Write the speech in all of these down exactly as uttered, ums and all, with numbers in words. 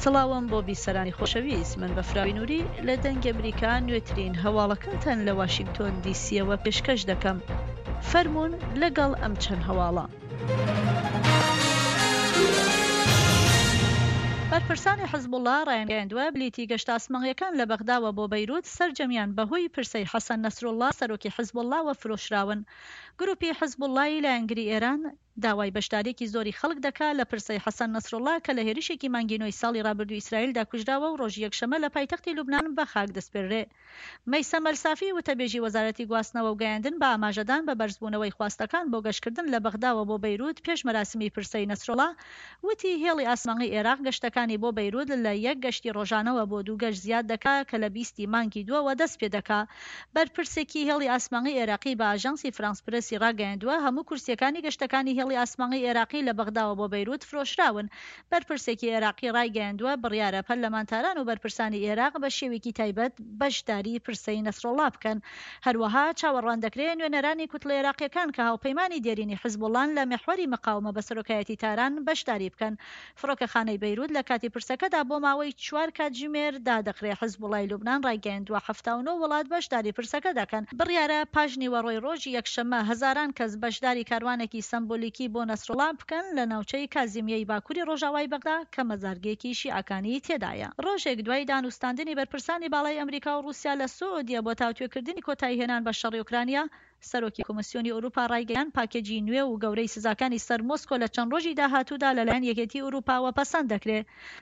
سڵاوم بۆ بیسەرانی خۆشەویست، من بەفراوی نوری لە دەنگی ئەمریکا نوێترین هەواڵەکانتان لە واشینگتۆن دیسیەوە پێشکەش دەکەم. فەرموون لەگەڵ ئەم چەند هەواڵە. بەرپرسانی حزبوڵڵا ڕایانگەیاندووە، بلیتی گەشتە ئاسمانییەکان لە بەغداوە بۆ بەیروت سەرجەمیان بەهۆی پرسەی حەسەن نەسروڵڵا سەرۆکی حزبوڵڵاوە فرۆشراون. گروپی حزبوڵڵای لایەنگری ئێران داوای بەشدارییەکی زۆری خەڵک دەکا لە پرسەی حەسەن نەسروڵڵا کە لە هێرشێکی مانگی نۆی ساڵی ڕابردووی ئیسرائیلدا کوژراوە و ڕۆژی یەکشەممە لە پایتەختی لوبنان بە خاک دەسپێررێ. مەیسەم ئەلسافی وتەبێژی وەزارەتی گواستنەوە و گەیاندن بە ئاماژەدان بە بەرزبوونەوەی خواستەکان بۆ گەشتکردن لە بەغداوە بۆ بەیروت پێش مەراسمی پرسەی نەسروڵا وتی هێڵی ئاسمانی ئێراق گەشتەکانی بۆ بەیروت لە یەک گەشتی ڕۆژانەوە بۆ دوو گەشت زیاد دەکا کە لە بیست ی مانگی دووەوە دەست پێدەکا. بەرپرسێکی هێڵی ئاسمانی ئێراقی بە ئاژانسی فرانس پرێسی ڕاگەیاندووە هەموو کورسییەکانی گەشتەکانی هێڵی ئاسمانی ئێراقی لە بەغداوە بۆ بەیروت فرۆشراون. بەرپرسێکی ئێراقی ڕایگەیاندووە بڕیارە پەرلەمانتاران و بەرپرسانی ئێراق بە شێوەیەکی تایبەت بەشداری پرسەی نەسروڵڵا بکەن. هەروەها چاوەڕوان دەکرێ نوێنەرانی کوتلە ئێراقییەکان کە هاوپەیمانی دێرینی حزبوڵڵان لە میحوەری مقاومە بە سەرۆکایەتی تاران بەشداری بکەن. فڕۆکەخانەی بەیروت لە کاتی پرسەکەدا بۆ ماوەی چوار کاتژمێر دادەخرێ. حزبوڵای لوبنان ڕایگەیاندووە حەفتا و نۆ وڵات بەشداری پرسەکە دەکەن. بڕیارە پاش نیوەڕۆی ڕۆژی یەکشەممە هەزاران کەس بەشداری کاروانێکی سەمبولیکی بۆ نەسروڵا بکەن لە ناوچەی کازیمیەی باکوری ڕۆژاوای بەغدا کە مەزارگەیەکی شیعەکانی تێدایە. ڕۆژێک دوای دانوستاندنی بەرپرسانی باڵای ئەمریکا و ڕووسیا لە سعودیە بۆ تاوتوێکردنی کۆتاییهێنان بە شەڕی ئۆکرانیا، سەرۆکی کۆمیسیۆنی ئەوروپا ڕایگەیاند پاکێجی نوێ و گەورەی سزاکانی سەر مۆسکۆ لە چەند ڕۆژی داهاتوودا لەلایەن یەکێتی ئەوروپاوە پەسەند دەکرێ.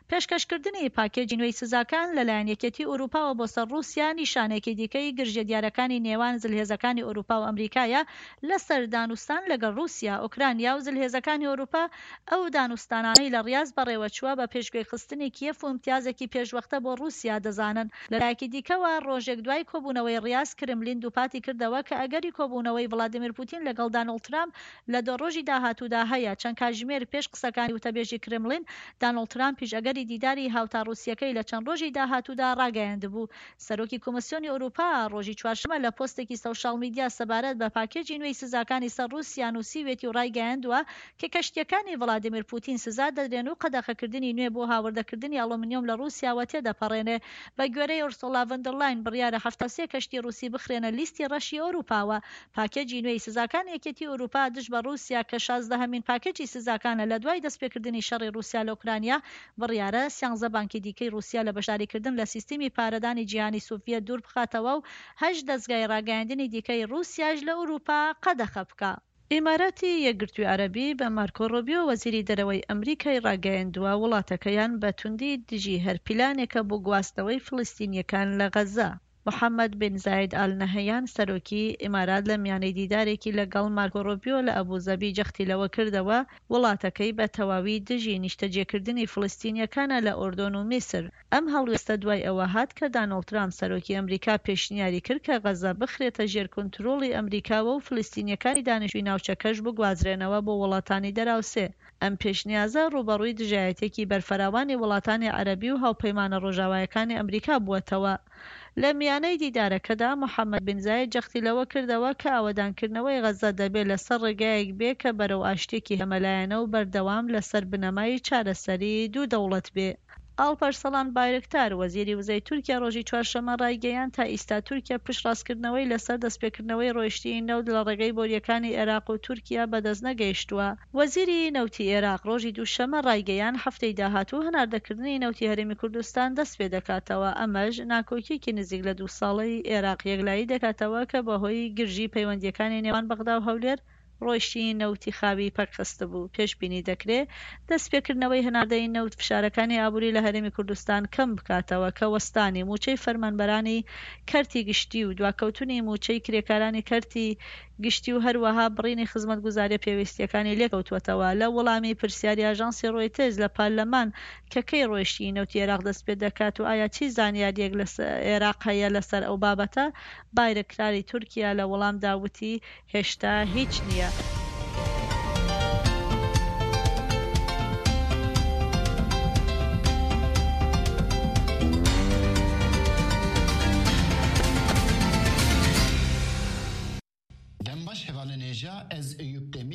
پێشکەشکردنی پاکێجی نوێی سزاکان لەلایەن یەکێتی ئەوروپاوە بۆ سەر ڕووسیا نیشانەیەکی دیکەی گرژییە دیارەکانی نێوان زلهێزەکانی ئەوروپا و ئەمریکایە لەسەر دانوستان لەگەڵ ڕووسیا، ئۆکرانیا و زلهێزەکانی ئەوروپا. ئەو دانوستانانەی لە ڕیاز بەڕێوەچووە بە پێشگوێخستنی کیێف و ئیمتیازێکی پێشوەختە بۆ ڕووسیا دەزانن. لەلایەکی دیکەوە، ڕۆژێک دوای کۆبوونەوەی ڕیاز، کرملین دووپاتی کردەوە کە ئەگەری کۆبوونەوەی ڤلادیمیر پوتین لەگەڵ دانۆڵد ترامپ لە دە ڕۆژی داهاتوودا هەیە. چەند کاتژمێر پێش قسەکانی وتەبێژی کرملین، دانۆڵد ترامپیش ئەگەری دیداری هاوتا ڕووسییەکەی لە چەند ڕۆژی داهاتوودا ڕاگەیاندبوو. سەرۆکی کۆمیسیۆنی ئەوروپا ڕۆژی چوارشەممە لە پۆستێکی سۆشیال میدیا سەبارەت بە پاکێجی نوێی سزاکانی سەر ڕووسیا نووسیویەتی و ڕایگەیاندووە کە کەشتییەکانی ڤلادیمیر پوتین سزا دەدرێن و قەدەخەکردنی نوێ بۆ هاوردەکردنی ئەڵومنیۆم لە ڕووسیاوە تێدەپەڕێنێ. بە گوێرەی ئۆرسۆلا ڤۆن بڕیارە حەفتا و سێ کەشتی ڕووسی بخرێنە لیستی ڕەشی ئەوروپاوە. پاکێجی نوێی سزاکانی یەکێتی ئەوروپا دژ بە ڕووسیا کە شازدەهەمین پاکێجی سزاکانە لە دوای دەستپێکردنی شەڕی ڕووسیا لە ئۆکرانیا، بڕیارە سیانزە بانکی دیکەی ڕووسیا لە بەشداریکردن لە سیستمی پارەدانی جیهانی سۆڤیەت دوور بخاتەوە و هەشت دەزگای ڕاگەیاندنی دیکەی ڕووسیاش لە ئەوروپا قەدەخە بکا. ئیماراتی یەکگرتووی عەرەبی بە مارکۆ ڕۆبیۆ وەزیری دەرەوەی ئەمریکای ڕاگەیاندووە، وڵاتەکەیان بە توندی دژی هەر پیلانێکە بۆ گواستنەوەی فلستینییەکان لە غەززە. محەمەد بن زاید ئال نەهەیان سەرۆکی ئیمارات لە میانەی دیدارێکی لەگەڵ مارکۆ ڕۆبیۆ لە ئەبوزەبی جەختی لەوە کردەوە، وڵاتەکەی بە تەواوی دژی نیشتەجێکردنی فلستینییەکانە لە ئوردن و میسر. ئەم هەڵوێستە دوای ئەوە هات کە دانۆڵد ترامپ سەرۆکی ئەمریکا پێشنیاری کرد کە غەززە بخرێتە ژێر کونترۆڵی ئەمریکاوە و فلستینییەکانی دانیشتووی ناوچەکەش بگوازرێنەوە بۆ وڵاتانی دەراوسێ. ئەم پێشنیازە ڕووبەڕووی دژایەتییەکی بەرفراوانی وڵاتانی عەرەبی و هاوپەیمانە ڕۆژاوایەکانی ئەمریکا بووەتەوە. لە میانەی دیدارەکەدا محەمەد بن زاید جەختی لەوە کردەوە کە ئاوەدانکردنەوەی غەززە دەبێ لەسەر ڕێگایەک بێ کە بەرەو ئاشتییەکی هەمەلایەنە و بەردەوام لەسەر بنەمای چارەسەری دوو دەوڵەت بێ. ئاڵپەرسەڵان بایرکتار، وەزیری وزەی تورکیا ڕۆژی چوارشەممە ڕایگەیاند، تا ئیستا تورکیا پشتڕاستکردنەوەی لەسەر دەستپێکردنەوەی ڕۆیشتنی نەوت لە ڕێگەی بۆرییەکانی ئێراق و تورکیا بەدەست نەگەیشتووە. وەزیری نەوتی ئێراق ڕۆژی دووشەممە ڕایگەیاند، هەفتەی داهاتوو هەناردەکردنی نەوتی هەرێمی کوردستان دەستپێدەکاتەوە، ئەمەش ناکۆکییەکی نزیک لە دوو ساڵەی ئێراق یەکلایی دەکاتەوە کە بەهۆی گرژی پەیوەندییەکانی نێوان بەغدا و هەولێر ڕۆیشتنی نەوتی خاوی پەکخستبوو. پێشبینی دەکرێ دەستپێکردنەوەی هەناردەی نەوت فشارەکانی ئابووری لە هەرێمی کوردستان کەم بکاتەوە کە وەستانی مووچەی فەرمانبەرانی کەرتی گشتی و دواکەوتنی مووچەی کرێکارانی کەرتی گشتی و هەروەها بڕینی خزمەتگوزارییە پێویستییەکانی لێکەوتووەتەوە. لە وەڵامی پرسیاری ئاژانسی ڕۆیتەرز لە پەرلەمان کە کەی ڕۆیشتنی نەوتی ئێراق دەستپێدەکات و ئایا چی زانیارییەک لە ئێراق هەیە لەسەر ئەو بابەتە، بایرەکتاری تورکیا لە وەڵامدا وتی، هێشتا هیچ نییە.